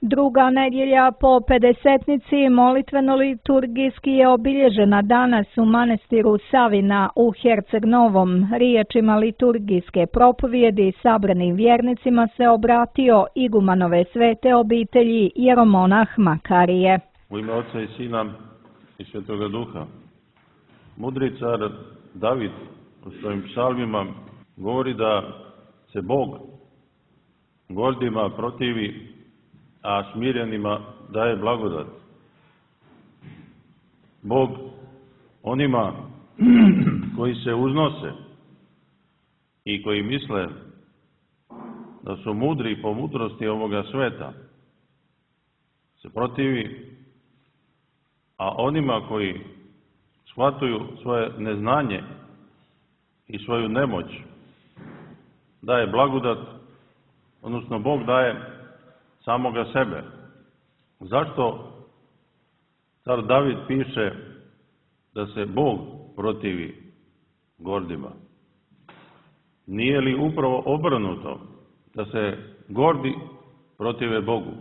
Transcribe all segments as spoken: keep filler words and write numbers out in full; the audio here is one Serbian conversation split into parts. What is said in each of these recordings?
Druga nedjelja po pedesetnici molitveno-liturgijski je obilježena danas u manastiru Savina u Herceg Novom. Riječima liturgijske propovjedi sabranim vjernicima se obratio igumanove svete obitelji jeromonah Makarije. U ime Oca i Sina i Svetoga Duha. Mudri car David u svojim psalmima govori da se Bog gordima protivi, a smirenima daje blagodat. Bog onima koji se uznose i koji misle da su mudri po mudrosti ovoga sveta se protivi, a onima koji shvataju svoje neznanje i svoju nemoć daje blagodat, odnosno Bog daje samoga sebe. Zašto car David piše da se Bog protivi gordima? Nije li upravo obrnuto da se gordi protive Bogu?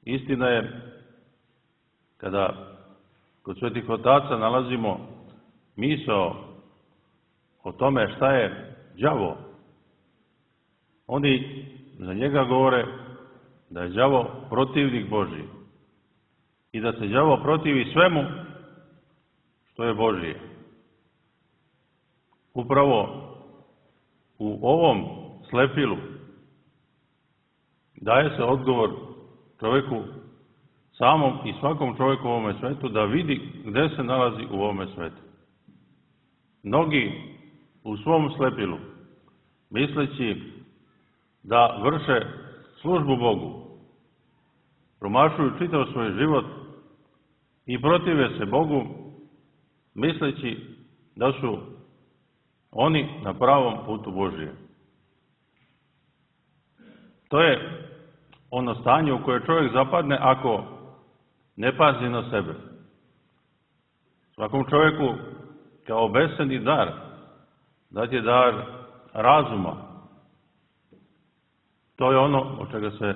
Istina je, kada kod svetih otaca nalazimo misao o tome šta je đavo, oni za njega govore da je đavo protivnik Božji i da se đavo protivi svemu što je Božje. Upravo u ovom slepilu daje se odgovor čovjeku samom i svakom čovjeku u ovome svetu da vidi gde se nalazi u ovome svetu. Mnogi u svom slepilu, misleći da vrše službu Bogu, promašuju čitav svoj život i protive se Bogu, misleći da su oni na pravom putu Božije. To je ono stanje u koje čovjek zapadne ako ne pazi na sebe. Svakom čovjeku kao beseni dar dat je dar razuma. To je ono od čega se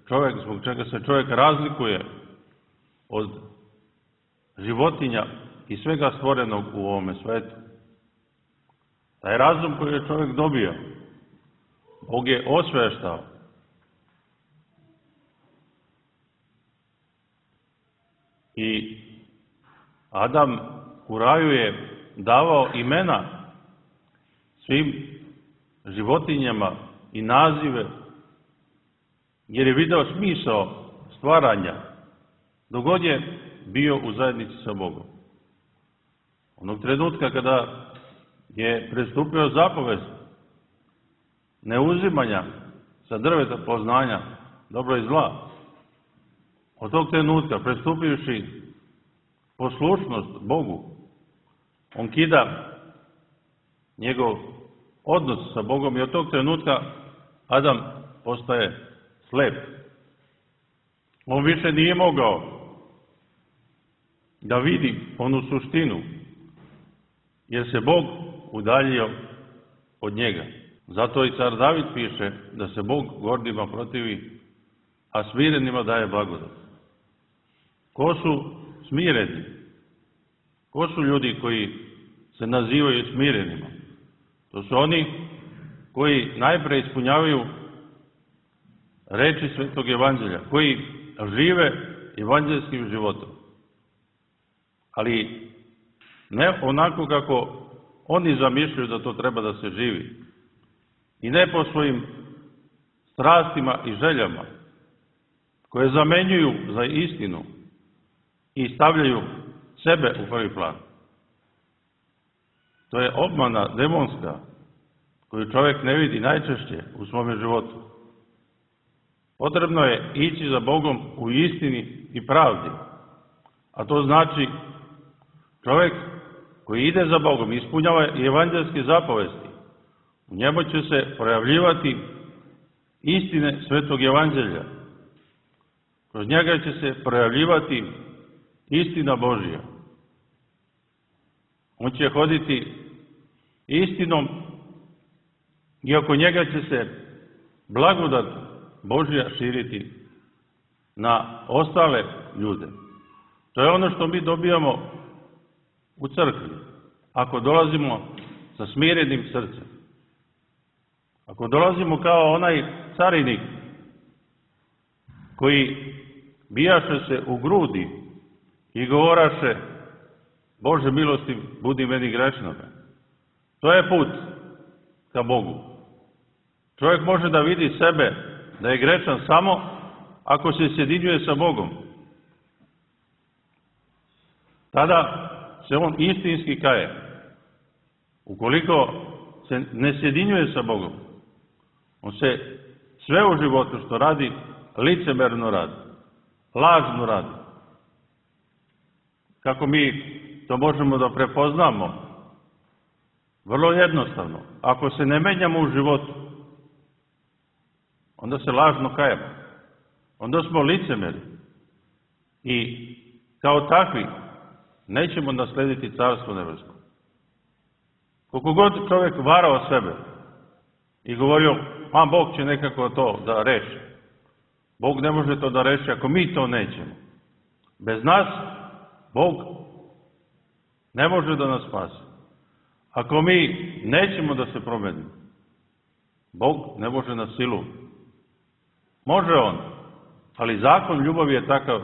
čovjek, zbog čega se čovjek razlikuje od životinja i svega stvorenog u ovome svetu. Taj razum koji je čovjek dobio, Bog je osveštao. I Adam u raju je davao imena svim životinjama i nazive, jer je video smisao stvaranja dok god je bio u zajednici sa Bogom. Onog trenutka kada je prestupio zapovest neuzimanja sa drveta poznanja dobro i zla, od tog trenutka prestupivši poslušnost Bogu, on kida njegov odnos sa Bogom i od tog trenutka Adam postaje slep. On više nije mogao da vidi onu suštinu, jer se Bog udaljio od njega. Zato i car David piše da se Bog gordima protivi, a smirenima daje blagodat. Ko su smireni? Ko su ljudi koji se nazivaju smirenima? To su oni koji najpre ispunjavaju reči Svetog Evanđelja, koji žive evanđelskim životom. Ali ne onako kako oni zamišljaju da to treba da se živi. I ne po svojim strastima i željama, koje zamenjuju za istinu i stavljaju sebe u prvi plan. To je obmana demonska koju čovjek ne vidi najčešće u svome životu. Potrebno je ići za Bogom u istini i pravdi. A to znači čovjek koji ide za Bogom, ispunjava i evanđelske zapovesti. U njemu će se projavljivati istine Svetog Evanđelja. Kroz njega će se projavljivati istina Božja. On će hoditi istinom i oko njega će se blagodat Božja širiti na ostale ljude. To je ono što mi dobijamo u crkvi. Ako dolazimo sa smirenim srcem. Ako dolazimo kao onaj carinik koji bijaše se u grudi i govoraše: Bože milosti, budi meni grešnoga. To je put ka Bogu. Čovjek može da vidi sebe da je grešan samo ako se sjedinjuje sa Bogom. Tada se on istinski kaje. Ukoliko se ne sjedinjuje sa Bogom, on se sve u životu što radi licemerno radi, lažno radi. Kako mi to možemo da prepoznamo? Vrlo jednostavno. Ako se ne menjamo u životu, onda se lažno kajemo. Onda smo licemeri. I kao takvi nećemo naslediti Carstvo nebesko. Koliko god čovjek varao sebe i govorio: a Bog će nekako to da reši. Bog ne može to da reši ako mi to nećemo. Bez nas Bog ne može da nas spasi. Ako mi nećemo da se promenimo, Bog ne može na silu. Može on, ali zakon ljubavi je takav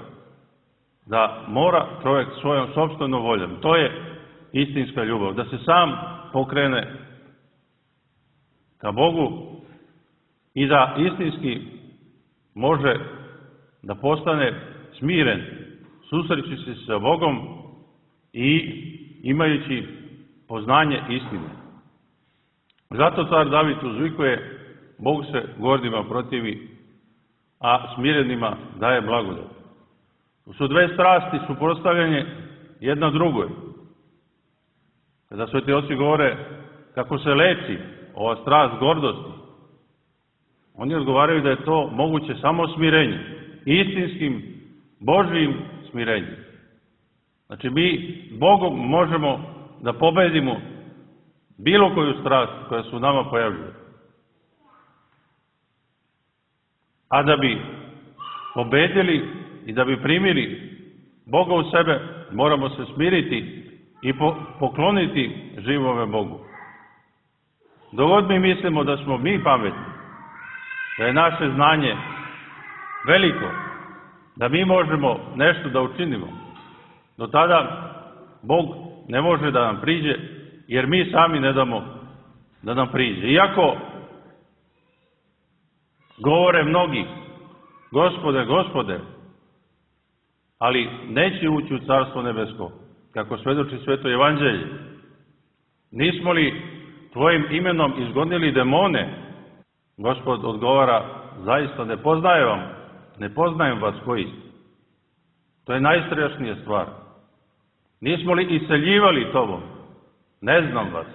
da mora čovjek svojom sopstvenom voljom. To je istinska ljubav, da se sam pokrene ka Bogu i da istinski može da postane smiren, susreći se sa Bogom i imajući poznanje istine. Zato car David uzvikuje: Bog se gordima protivi, a smirenima daje blagodat. To su dve strasti suprotstavljene jedna drugoj. Kada sveti oci govore kako se leči ova strast gordosti, oni odgovaraju da je to moguće samo smirenjem, istinskim Božijim smirenjem. Znači mi Bogom možemo da pobedimo bilo koju strast koja se u nama pojavljuje. A da bi pobedili i da bi primili Boga u sebe, moramo se smiriti i pokloniti živome Bogu. Dok god mi mislimo da smo mi pametni, da je naše znanje veliko, da mi možemo nešto da učinimo, do tada Bog ne može da nam priđe, jer mi sami ne damo da nam priđe. Iako govore mnogi: Gospode, Gospode, ali neće ući u Carstvo nebesko, kako svedoči Sveto Evanđelje. Nismo li Tvojim imenom izgonili demone? Gospod odgovara: zaista ne poznajem vam, ne poznajem vas koji ste. To je najstrašnija stvar. Nismo li iseljivali tobom? Ne znam vas.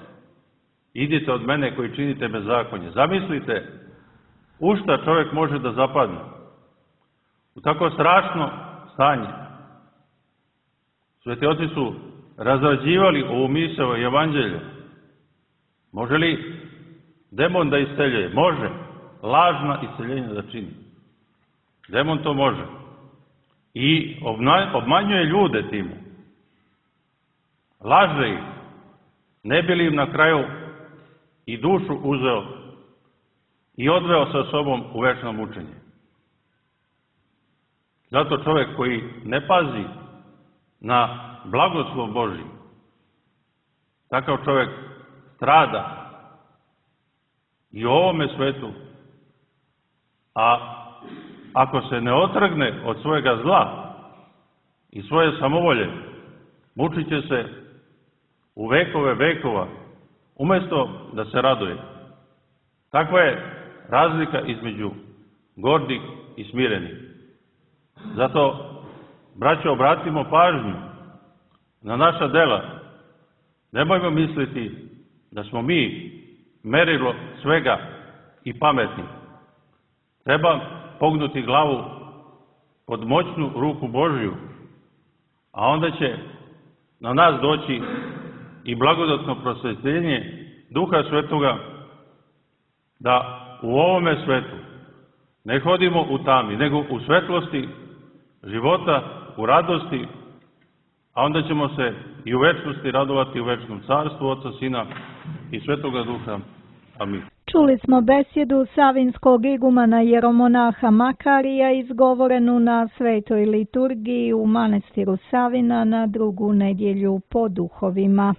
Idite od mene koji činite bezakonje. Zamislite u šta čovjek može da zapadne. U tako strašno stanje. Sveti oci su razrađivali ovu misao i evanđelje. Može li demon da iseljuje? Može. Lažna iseljenja da čini. Demon to može. I obmanjuje ljude time. Laže ih. Ne bi li im na kraju i dušu uzeo i odveo sa sobom u večno mučenje. Zato čovjek koji ne pazi na blagoslov Božji, takav čovjek strada i u ovome svetu, a ako se ne otrgne od svojega zla i svoje samovolje, mučit će se u vekove vekova, umjesto da se raduje. Takva je razlika između gordih i smirenih. Zato, braćo, obratimo pažnju na naša dela. Nemojmo misliti da smo mi merilo svega i pametni. Treba pognuti glavu pod moćnu ruku Božju, a onda će na nas doći i blagodatno prosvetljenje Duha Svetoga, da u ovome svetu Ne hodimo u tami, nego u svetlosti života, u radosti, a onda ćemo se i u večnosti radovati u večnom carstvu Oca, Sina i Svetoga Duha. Amin. Čuli smo besjedu savinskog igumana jeromonaha Makarija izgovorenu na svetoj liturgiji u manastiru Savina na drugu nedjelju po duhovima.